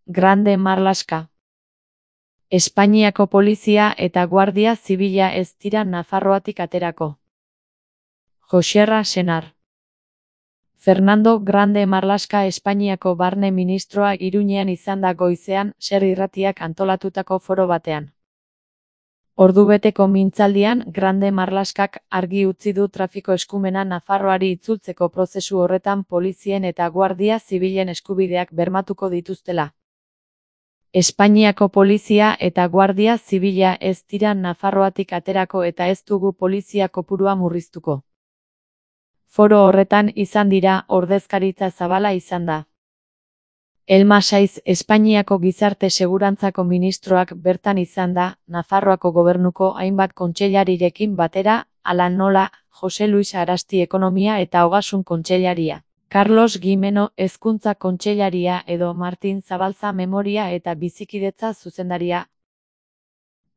Grande Marlaska. Espainiako polizia eta guardia zibila ez dira Nafarroatik aterako. Joserra Senar. Fernando Grande Marlaska Espainiako barne ministroa Iruñean izan da goizean Ser irratiak antolatutako foro batean. Ordubeteko mintzaldian Grande Marlaskak argi utzi du trafiko eskumena Nafarroari itzultzeko prozesu horretan polizien eta guardia zibilen eskubideak bermatuko dituztela. Espainiako polizia eta guardia zibila ez dira Nafarroatik aterako eta ez dugu polizia kopurua murriztuko. Foro horretan izan dira ordezkaritza zabala izan da. Elma Saiz Espainiako gizarte segurantzako ministroak bertan izan da, Nafarroako gobernuko hainbat kontseilarirekin batera, hala nola, Jose Luis Arasti ekonomia eta ogasun kontseilaria, Carlos Gimeno hezkuntza kontseilaria edo Martin Zabalza memoria eta bizikidetza zuzendaria.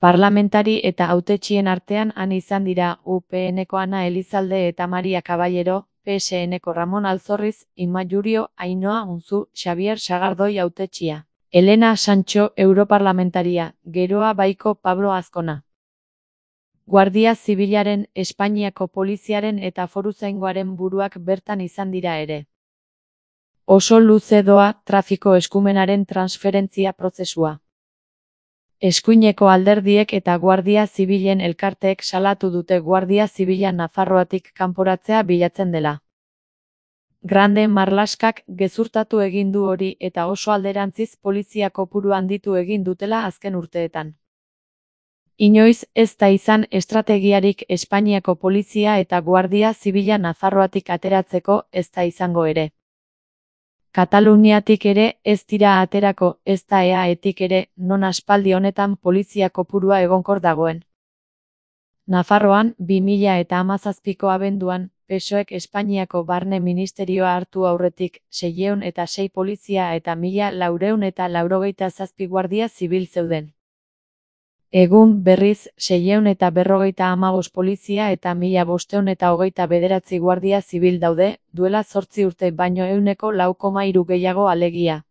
Parlamentari eta hautetxien artean han izan dira UPNko Ana Elizalde eta Maria Caballero, PSNko Ramon Alzorriz, Inma Jurio, Ainhoa Unzu, Xavier Sagardoi hautetxia, Elena Sancho europarlamentaria, Geroa Baiko Pablo Azkona. Guardia Zibilaren, Espainiako poliziaren eta foruzaingoaren buruak bertan izan dira ere. Oso luze doa trafiko eskumenaren transferentzia prozesua. Eskuineko alderdiek eta Guardia Zibilen elkarteek salatu dute Guardia Zibila Nafarroatik kanporatzea bilatzen dela. Grande Marlaskak gezurtatu egin du hori eta oso alderantziz polizia kopuru handitu egin dutela azken urteetan. Inoiz ez da izan estrategiarik Espainiako polizia eta Guardia Zibila Nafarroatik ateratzeko ez da izango ere. Kataluniatik ere ez dira aterako, ez da EAetik ere, non aspaldi honetan polizia kopurua egonkor dagoen. Nafarroan, 2017ko abenduan, PSOEk Espainiako barne ministerioa hartu aurretik, 606 polizia eta 1487 guardia zibil zeuden. Egun, berriz, 655 polizia eta 1529 guardia zibil daude, duela 8 urte baino 100,3 gehiago alegia.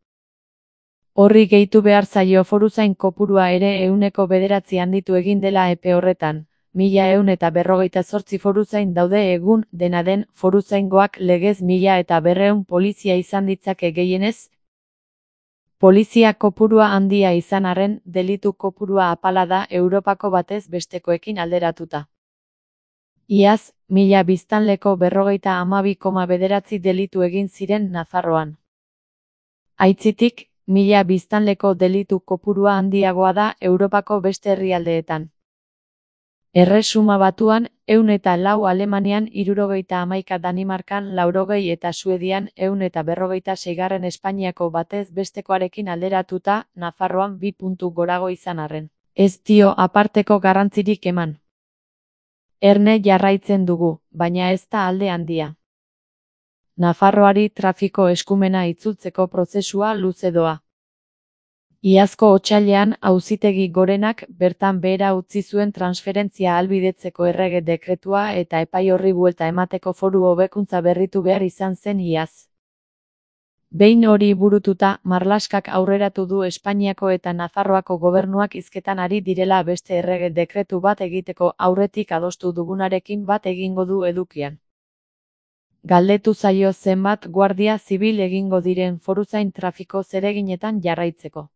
Horri gehitu behar zaio foruzain kopurua ere 109 handitu egin dela epe horretan. 1158 foruzain daude egun, dena den, foruzaingoak legez 1200 polizia izan ditzake gehienez. Polizia kopurua handia izan arren, delitu kopurua apala da Europako batez bestekoekin alderatuta. Iaz, 1000 biztanleko 52,9 delitu egin ziren Nafarroan. Aitzitik, 1000 biztanleko delitu kopurua handiagoa da Europako beste herrialdeetan. Erresuma Batuan, 104 Alemanian 71 Danimarkan 80 eta Suedian 156 Espainiako batez bestekoarekin alderatuta, Nafarroan 2 puntu gorago izan arren. Ez dio aparteko garrantzirik eman. Erne jarraitzen dugu, baina ez da alde handia. Nafarroari trafiko eskumena itzultzeko prozesua luze doa. Iazko otsailean Auzitegi Gorenak bertan behera utzi zuen transferentzia ahalbidetzeko errege dekretua eta epai horri buelta emateko foru hobekuntza berritu behar izan zen iaz. Behin hori burututa, Marlaskak aurreratu du Espainiako eta Nafarroako gobernuak hizketan ari direla beste errege dekretu bat egiteko aurretik adostu dugunarekin bat egingo du edukian. Galdetu zaio zenbat guardia zibil egingo diren foruzain trafiko zereginetan jarraitzeko.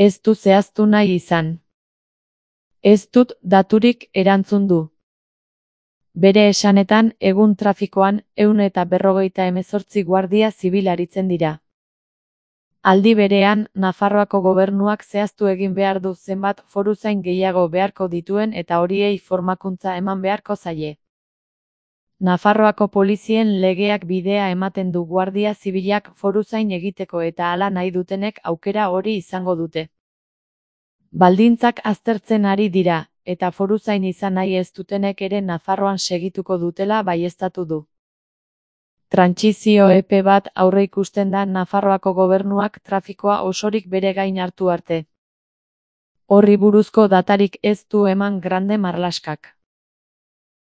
Ez du zehaztu nahi izan. Ez dut daturik erantzun du. Bere esanetan, egun trafikoan, 158 guardia zibil aritzen dira. Aldi berean, Nafarroako gobernuak zehaztu egin behar du zenbat foruzain gehiago beharko dituen eta horiei formakuntza eman beharko zaie. Nafarroako polizien legeak bidea ematen du guardia zibilak foruzain egiteko eta hala nahi dutenek aukera hori izango dute. Baldintzak aztertzen ari dira, eta foruzain izan nahi ez dutenek ere Nafarroan segituko dutela baieztatu du. Trantsizio epe bat aurreikusten da Nafarroako gobernuak trafikoa osorik bere gain hartu arte. Horri buruzko datarik ez du eman Grande Marlaskak.